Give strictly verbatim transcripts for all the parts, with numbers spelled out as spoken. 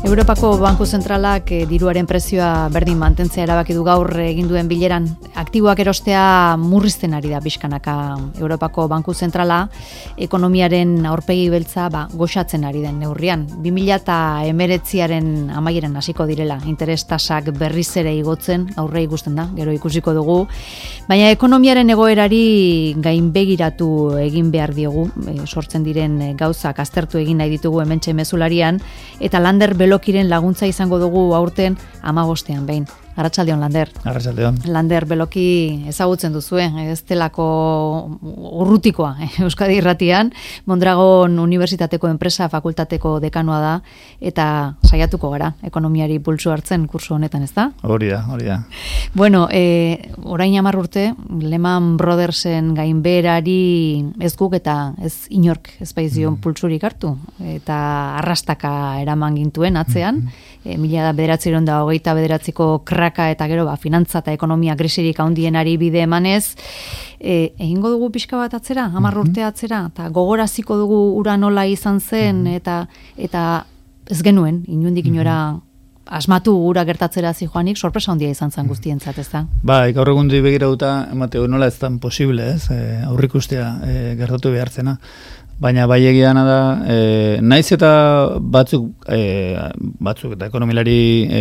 Europako Banku Zentralak eh, diruaren prezioa berdin mantentzea erabaki du gaur egin duen bileran. Aktiboak erostea murrizten ari da pixkanaka Europako Banku Zentrala, ekonomiaren aurpegi beltza ba, goxatzen ari den neurrian. bi mila hemeretziaren amaieran hasiko direla, interes tasak berriz ere igotzen, aurre ikusten da, gero ikusiko dugu. Baina ekonomiaren egoerari gainbegiratu egin behar diogu, e, sortzen diren gauzak aztertu egin nahi ditugu hementxe mezularian, eta Lander Belokiren laguntza izango dugu aurten hamabostean behin. Arratsaldeon, Lander. Arratsaldeon. Lander Beloki ezagutzen duzue, ez delako urrutikoa eh, Euskadi Irratian, Mondragon Unibertsitateko Enpresa Fakultateko dekanoa da, eta saiatuko gara, ekonomiari pulsu hartzen kursu honetan, ez da? Hori da, hori da. Bueno, eh, orain hamar urte, Lehman Brothersen gainbeherari ez guk eta ez inork ez baizion mm. pulsurik hartu, eta arrastaka eraman gintuen atzean, mm-hmm. e, mila bederatziehun eta hogeita bederatziko kraka eta gero ba, finantza eta ekonomia krisirik handienari bide emanez, e, egingo dugu pixka bat atzera, hamar mm-hmm. urte atzera, eta gogoraziko dugu ura nola izan zen, mm-hmm. eta eta ez genuen, inundik inora mm-hmm. asmatu ura gertatzera zijoanik, sorpresa handia izan zen guztientzat, ez da? Ba, gaur egundi begirauta, emateu nola ez tan posible, ez, e, aurrikustea e, gertatu behartzena. Baina bai egiana da, e, naiz eta batzuk, e, batzuk eta ekonomilari e,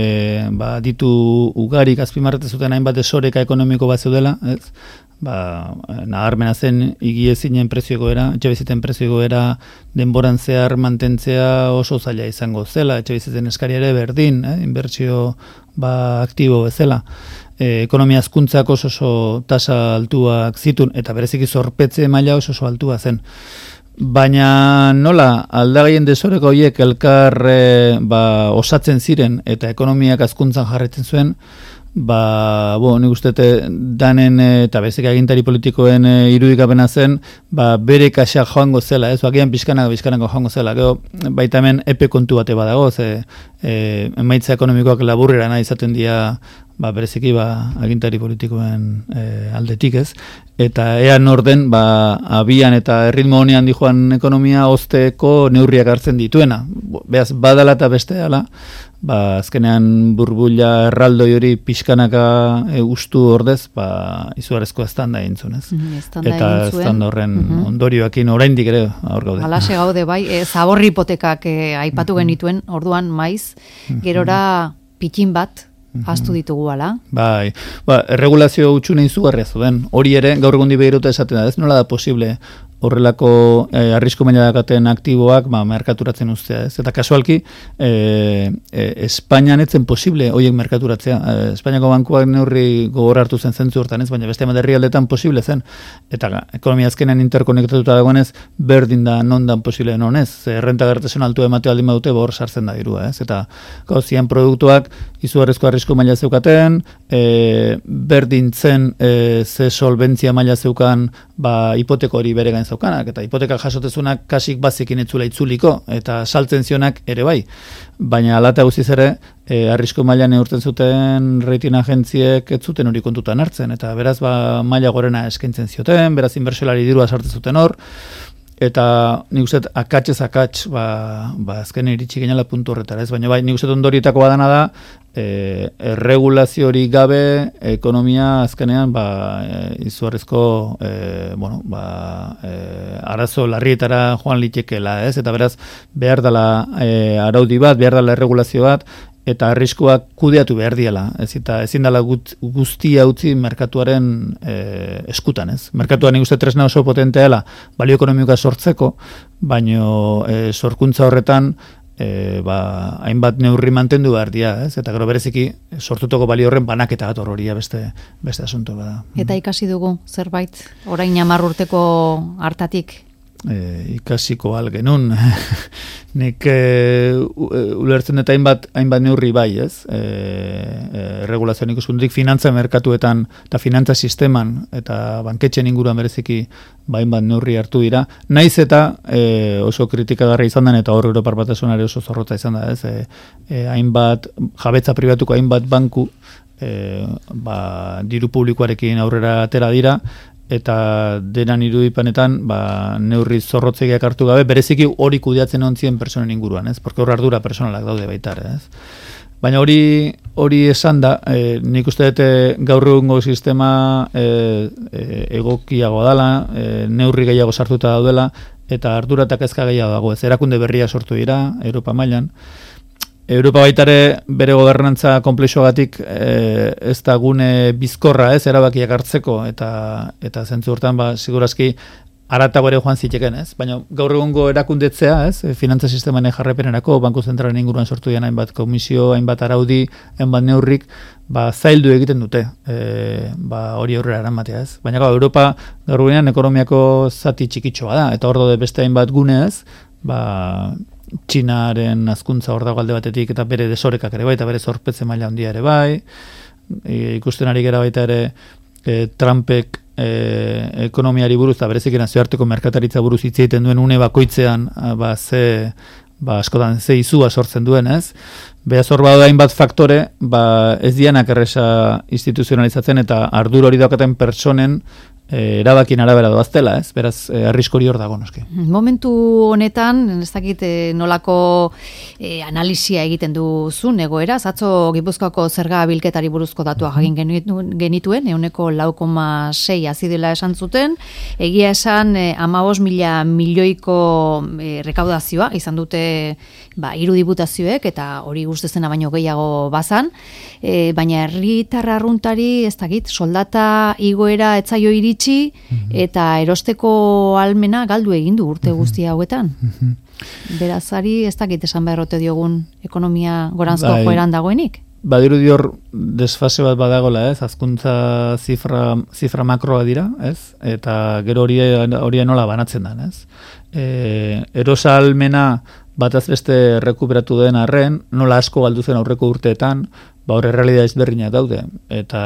ba, ditu ugarik azpimarrate zuten hainbat desoreka ekonomiko bat zeudela, ez? Ba, nabarmena zen igiezinen prezioegoera, etxebiziten prezioegoera denboran zehar mantentzea oso zaila izango zela, etxebiziten eskari ere berdin, eh? Inbertsio ba, aktibo bezala. E, ekonomia hazkuntzak oso oso tasa altuak zitun, eta bereziki zorpetze maila oso oso altua zen. Baina nola, aldagaien desoreko horiek elkar e, ba, osatzen ziren eta ekonomiak hazkuntzan jarretzen zuen, ba, bo, nik uste danen eta bezik agintari politikoen e, irudikapena zen, ba, bere kaxa joango zela, ez, agian pixkanako, pixkanako joango zela, gero, baita hemen epe kontu bate badago, ze, e, emaitza ekonomikoak laburrera nahi izaten dira, ba, bereziki ba, agintari politikoen e, aldetik ez, eta ea norden ba, abian eta erritmo honean dijoan ekonomia ozteko neurriak hartzen dituena. Beaz, badala eta beste dela, ba, azkenean burbuila erraldoi hori pixkanaka e, ustu ordez, ba, izugarrezko estanda egintzun, ez? Mm, eta estanda horren mm-hmm. ondorioakin oraindik ere hor gaude. Alaxe gaude, bai, e, zaborri hipotekak e, aipatu mm-hmm. genituen, orduan maiz, gerora pitxin bat, hastu ditugu ala. Bai, ba, erregulazio utxune izugarria zuen. Hori ere, gaur egundi behiruta esaten da, ez nola da posible horrelako eh, arrisku maila dakaten aktiboak ba, merkaturatzen ustea. Ez? Eta kasualki, eh, eh, Espainian etzen posible horiek merkaturatzea. Eh, Espainiako bankuak neurri gogor hartu zen zentzu hortan, ez? Baina beste herrialdetan posible zen. Eta ekonomia azkenean interkonektatuta dagoenez, berdin da non dan posible non ez. Errenta gertasun altua ematea aldin badute, bor sartzen da dirua. Ez? Eta gauzien produktuak izugarrizko arrisku maila zeukaten, e, berdin zen e, ze solventzia maila zeukan ba, hipoteko hori bere gain zeukanak, eta hipoteka jasotezunak kasik bazekin etzula itzuliko, eta saltzen zionak ere bai. Baina alata guztiz ere, e, arrisku maila neurten zuten rating agentziek ez zuten hori kontutan hartzen, eta beraz ba, maila gorena eskaintzen zioten, beraz inbertsolari dirua sartzen zuten hor, eta nik uste akatxez akatx ba, ba azken iritsi genela puntu horretara, ez? Baina bai, nik uste ondorietako badana da, e, erregulazio hori gabe ekonomia azkenean ba, e, izugarrizko e, bueno, ba, e, arazo larrietara joan litekela, ez? Eta beraz, behar dela e, araudi bat, behar dela erregulazio bat, eta arriskuak kudeatu behar diela, ez eta ezin dela guztia utzi merkatuaren e, eskutan, ez? Merkatuan nik uste tresna oso potentea dela balio ekonomikoa sortzeko, baino e, sorkuntza horretan e, ba, hainbat neurri mantendu behar dira, ez? Eta gero bereziki sortutoko balio horren banaketa bat horroria beste, beste asunto bada. Eta ikasi dugu zerbait, orain hamar urteko hartatik? E, ikasiko algenun nik e, ulertzen eta hainbat, hainbat neurri bai, ez? E, e, regulazioan ikuspuntutik finantza merkatuetan eta finantza sisteman eta banketxen inguruan bereziki hainbat neurri hartu dira. Naiz eta e, oso kritikagarri izan den eta hor Europar Batasunari oso zorrotza izan da, ez? E, e, hainbat jabetza pribatuko hainbat banku e, ba, diru publikoarekin aurrera atera dira, eta denan irudipanetan ba, neurri zorrotzegiak hartu gabe, bereziki hori kudeatzen ontzien personen inguruan, ez? Porque hor ardura personalak daude baita ere, ez? Baina hori hori esan da, e, nik uste dute gaur egungo sistema e, e, egokiagoa dela, e, neurri gehiago sartuta daudela, eta ardura eta kezka gehiago dago, ez? Erakunde berria sortu dira, Europa mailan. Europa baitare bere gobernantza konplexuagatik e, ez da gune bizkorra, ez, erabakiak hartzeko, eta eta zentzu hortan, ba, segurazki aratago ere joan ziteken, ez? Baina gaur egungo erakundetzea, ez? Finantza sistemaren jarraipenerako, Banku Zentralaren inguruan sortu dian hainbat komisio, hainbat araudi, hainbat neurrik, ba, zaildu egiten dute, e, ba, hori aurrera eramatea, ez? Baina gaur, Europa gaur egunean ekonomiako zati txikitxoa da, eta hor daude beste hainbat gune, ez? Ba, Txinaren hazkuntza hor dago alde batetik, eta bere desorekak ere bai, eta bere zorpetze maila handia ere bai, e, ikusten ari gara baita ere e, Trumpek e, ekonomiari buruz, eta berezik nazioarteko merkataritza buruz hitz egiten duen une bakoitzean, ba, ze, ba, askotan ze izua sortzen duen, ez? Beaz hor bada hainbat faktore, ba, ez dianak erresa instituzionalizatzen, eta ardura hori daukaten pertsonen E, erabakien arabera doaztela, ez? Beraz, e, arriskori hor dago, noski. Momentu honetan, ez dakit e, nolako e, analisia egiten duzun egoera, atzo Gipuzkoako zerga bilketari buruzko datua jagin genituen, euneko lau koma sei azidela esan zuten, egia esan e, hamabost mila milioiko e, rekaudazioa izan dute ba, hiru diputazioek, eta hori guztezena baino gehiago bazan, e, baina herritar arruntari, ez dakit, soldata igoera etzaio iritsi, eta erosteko almena galdu egin du urte guztia hauetan. Berazari ez dakit esan beharrote diogun ekonomia goranzko bai, joeran dagoenik? Badiru dior desfase bat badagola, ez? Hazkuntza zifra, zifra makroa dira, ez? Eta gero hori hori nola banatzen da, ez? E, erosa almena bataz beste rekuperatu den arren, nola asko galdu zen aurreko urteetan, ba hor errealidade ezberdinak daude, eta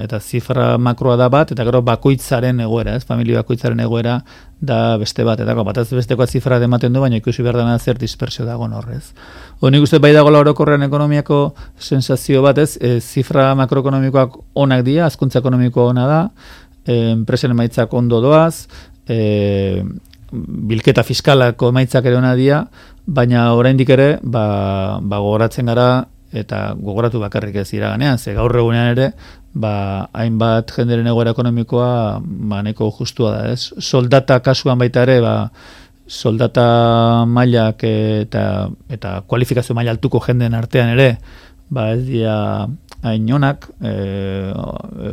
eta zifra makroa da bat, eta gero bakoitzaren egoera, ez, familia bakoitzaren egoera da beste bat, eta bataz bestekoa zifra ematen du, baina ikusi behar dena zer dispersio dagoen horrez. Honik uste bai dagoela orokorrean ekonomiako sensazio bat, ez, e, zifra makroekonomikoak onak dira, hazkuntza ekonomikoa ona da, e, enpresen emaitzak ondo doaz, e, bilketa fiskalako emaitzak ere ona dira, baina oraindik ere, ba, ba gogoratzen gara, eta gogoratu bakarrik ez iraganean, ze gaur egunean ere, ba, hainbat jenderen egoera ekonomikoa ba, neko justua da, ez? Soldata kasuan baita ere, ba, soldata mailak eta, eta kualifikazio maila altuko jenden artean ere, ba, ez dira hain onak, e,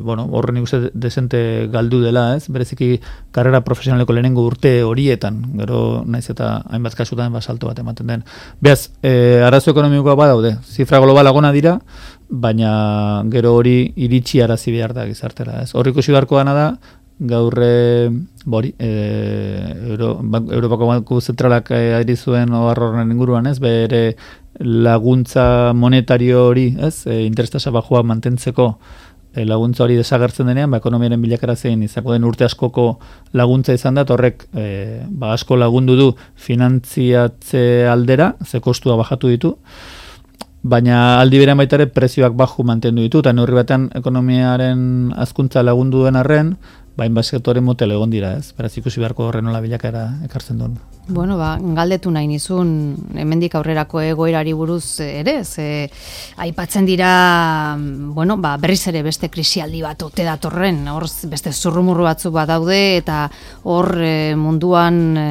bueno, horren ikuste desente galdu dela, ez? Bereziki karrera profesionaleko lehenengo urte horietan, gero naiz eta hainbat kasutan ba, salto bat ematen den. Beaz, e, arazo ekonomikoa badaude, zifra globala gona dira, baina gero hori iritsi arazi behar da gizartera, ez? Horri ikusi beharko dana da, gaur bori, e, Euro, Europako Banku Zentralak ari zuen horren inguruan, ez? Bere laguntza monetario hori, ez? E, interestasa bajua mantentzeko e, laguntza hori desagertzen denean, ba, ekonomiaren bilakara zein izako den urte askoko laguntza izan da, horrek e, ba, asko lagundu du finantziatze aldera, ze kostua bajatu ditu, baina aldi berean baita ere prezioak baju mantendu ditu, eta neurri batean ekonomiaren hazkuntza lagundu den arren, bain bat sektore motel egon dira, ez? Beraz ikusi beharko horren nola bilakaera ekartzen duen. Bueno, ba, galdetu nahi nizun, hemendik aurrerako egoerari buruz ere, ze aipatzen dira, bueno, ba, berriz ere beste krisialdi bat ote datorren, hor beste zurrumurru batzuk bat daude, eta hor e, munduan e,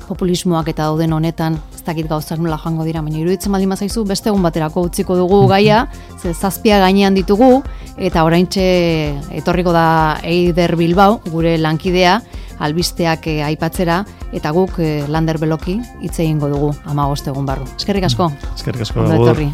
populismoak eta dauden honetan, ez dakit gauzak nola joango dira, baina iruditzen baldin bazaizu beste egun baterako utziko dugu gaia, ze zazpia gainean ditugu, eta oraintxe etorriko da Eider Bilbao, gure lankidea, albisteak eh, aipatzera, eta guk eh, Lander Beloki hitz egingo dugu hamabost egun barru. Eskerrik asko. Eskerrik asko. Ondo etorri.